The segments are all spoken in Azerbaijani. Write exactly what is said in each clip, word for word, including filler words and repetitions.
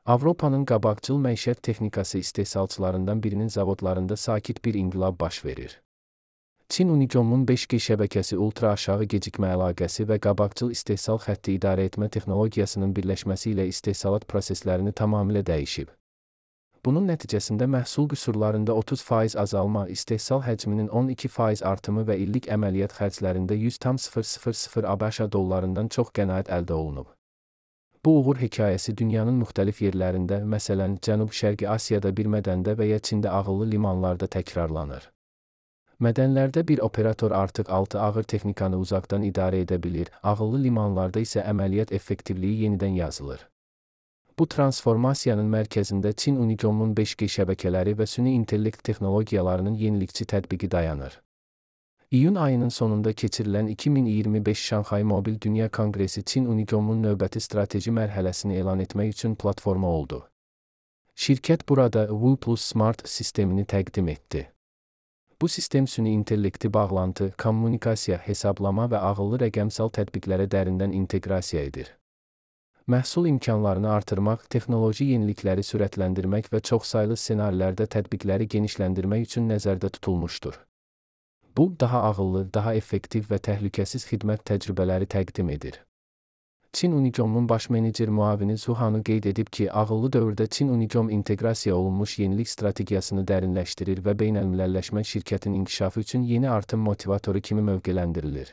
Avropanın qabaqcıl məişət texnikası istehsalçılarından birinin zavodlarında sakit bir inqilab baş verir. Çin Unicomun beş G şəbəkəsi ultra aşağı gecikmə əlaqəsi və qabaqcıl istehsal xətti idarə etmə texnologiyasının birləşməsi ilə istehsalat proseslərini tamamilə dəyişib. Bunun nəticəsində məhsul qüsurlarında otuz faiz azalma, istehsal həcminin on iki faiz artımı və illik əməliyyat xərclərində yüz tam sıfır sıfır sıfır ABŞ dollarından çox qənaət əldə olunub. Bu uğur hekayəsi dünyanın müxtəlif yerlərində, məsələn, Cənub-Şərqi Asiyada bir mədəndə və ya Çində ağıllı limanlarda təkrarlanır. Mədənlərdə bir operator artıq altı ağır texnikanı uzaqdan idarə edə bilir, ağıllı limanlarda isə əməliyyat effektivliyi yenidən yazılır. Bu transformasiyanın mərkəzində Çin Unicomun beş G şəbəkələri və süni intellekt texnologiyalarının yenilikçi tətbiqi dayanır. İyun ayının sonunda keçirilən iki min iyirmi beş Şanxay Mobil Dünya Konqresi Çin Unicomun növbəti strateji mərhələsini elan etmək üçün platforma oldu. Şirkət burada Wu Plus Smart sistemini təqdim etdi. Bu sistem süni intellekti bağlantı, kommunikasiya, hesablama və ağıllı rəqəmsal tətbiqlərə dərindən inteqrasiya edir. Məhsul imkanlarını artırmaq, texnoloji yenilikləri sürətləndirmək və çoxsaylı ssenarilərdə tətbiqləri genişləndirmək üçün nəzərdə tutulmuşdur. Bu, daha ağıllı, daha effektiv və təhlükəsiz xidmət təcrübələri təqdim edir. Çin Unicomun baş menecer müavini Zhu Hanu qeyd edib ki, ağıllı dövrdə Çin Unicom inteqrasiya olunmuş yenilik strategiyasını dərinləşdirir və beynəlmiləlləşmə şirkətin inkişafı üçün yeni artım motivatoru kimi mövqələndirilir.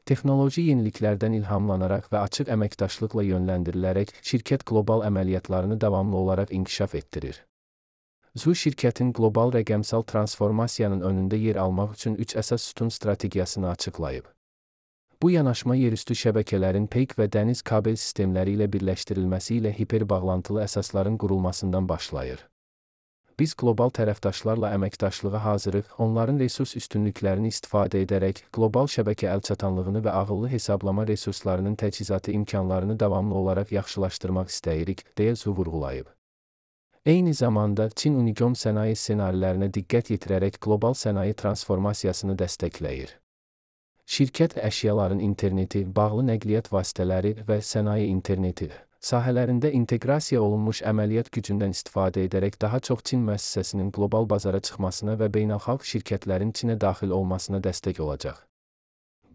Texnoloji yeniliklərdən ilhamlanaraq və açıq əməkdaşlıqla yönləndirilərək, şirkət qlobal əməliyyatlarını davamlı olaraq inkişaf etdirir. Zhu şirkətin qlobal rəqəmsal transformasiyanın önündə yer almaq üçün üç əsas sütun strategiyasını açıqlayıb. Bu yanaşma yerüstü şəbəkələrin peyk və dəniz kabel sistemləri ilə birləşdirilməsi ilə hiperbağlantılı əsasların qurulmasından başlayır. Biz qlobal tərəfdaşlarla əməkdaşlığa hazırıq, onların resurs üstünlüklərini istifadə edərək, qlobal şəbəkə əlçatanlığını və ağıllı hesablama resurslarının təchizatı imkanlarını davamlı olaraq yaxşılaşdırmaq istəyirik, deyə Zhu vurğulayıb. Eyni zamanda, Çin Unicom sənaye ssenarilərinə diqqət yetirərək qlobal sənaye transformasiyasını dəstəkləyir. Şirkət əşyaların interneti, bağlı nəqliyyat vasitələri və sənaye interneti sahələrində inteqrasiya olunmuş əməliyyat gücündən istifadə edərək daha çox Çin müəssisəsinin qlobal bazara çıxmasına və beynəlxalq şirkətlərin Çinə daxil olmasına dəstək olacaq.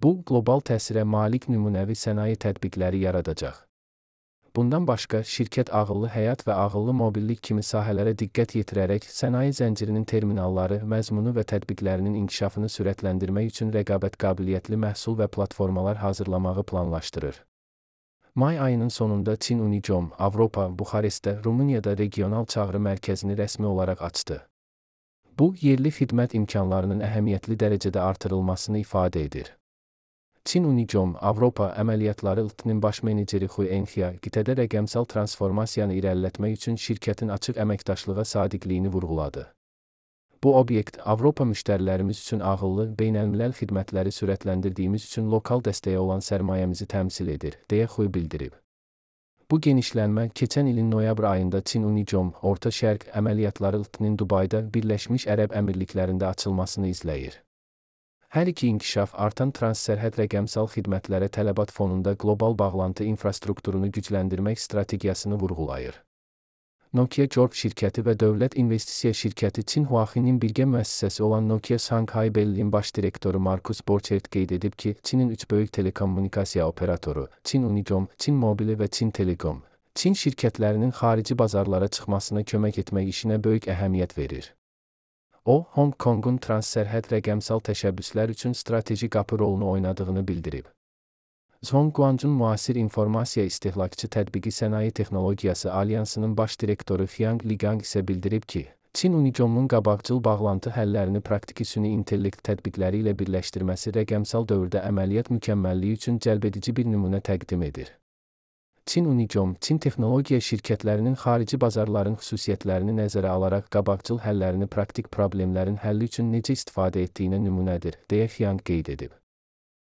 Bu, qlobal təsirə malik nümunəvi sənaye tətbiqləri yaradacaq. Bundan başqa, şirkət ağıllı həyat və ağıllı mobillik kimi sahələrə diqqət yetirərək sənaye zəncirinin terminalları, məzmunu və tətbiqlərinin inkişafını sürətləndirmək üçün rəqabət qabiliyyətli məhsul və platformalar hazırlamağı planlaşdırır. May ayının sonunda Çin Unicom, Avropa, Buxarestdə, Rumuniyada regional çağrı mərkəzini rəsmi olaraq açdı. Bu, yerli xidmət imkanlarının əhəmiyyətli dərəcədə artırılmasını ifadə edir. Çin Unicom, Avropa əməliyyatları L T N-in baş meneceri Hu Enxia, qitədə rəqəmsal transformasiyanı irəliletmək üçün şirkətin açıq əməkdaşlığa sadiqliyini vurğuladı. Bu obyekt, Avropa müştərilərimiz üçün ağıllı, beynəlmiləl xidmətləri sürətləndirdiyimiz üçün lokal dəstəyə olan sərmayəmizi təmsil edir, deyə Hu bildirib. Bu genişlənmə, keçən ilin noyabr ayında Çin Unicom, Orta Şərq əməliyyatları L T N-in Dubayda, Birləşmiş Ərəb Əmirliklərində açılmasını izləyir. Hər iki inkişaf artan transsərhəd rəqəmsal xidmətlərə tələbat fonunda qlobal bağlantı infrastrukturunu gücləndirmək strategiyasını vurğulayır. Nokia Corp şirkəti və dövlət investisiya şirkəti Çin Huaxinin birgə müəssisəsi olan Nokia Shanghai Bell'in baş direktoru Markus Borchert qeyd edib ki, Çinin üç böyük telekommunikasiya operatoru, Çin Unicom, Çin Mobile və Çin Telekom, Çin şirkətlərinin xarici bazarlara çıxmasına kömək etmək işinə böyük əhəmiyyət verir. O, Hong Kongun transsərhəd rəqəmsal təşəbbüslər üçün strateji qapı rolunu oynadığını bildirib. Zhongguancun müasir informasiya istehlakçı tətbiqi sənaye texnologiyası alyansının baş direktoru Xiang Ligang isə bildirib ki, Çin Unicomun qabaqcıl bağlantı həllərini praktiki süni intellekt tətbiqləri ilə birləşdirməsi rəqəmsal dövrdə əməliyyat mükəmməlliyi üçün cəlbedici bir nümunə təqdim edir. Çin Unicom, Çin texnologiya şirkətlərinin xarici bazarların xüsusiyyətlərini nəzərə alaraq qabaqcıl həllərini praktik problemlərin həlli üçün necə istifadə etdiyinə nümunədir, deyə Xiang qeyd edib.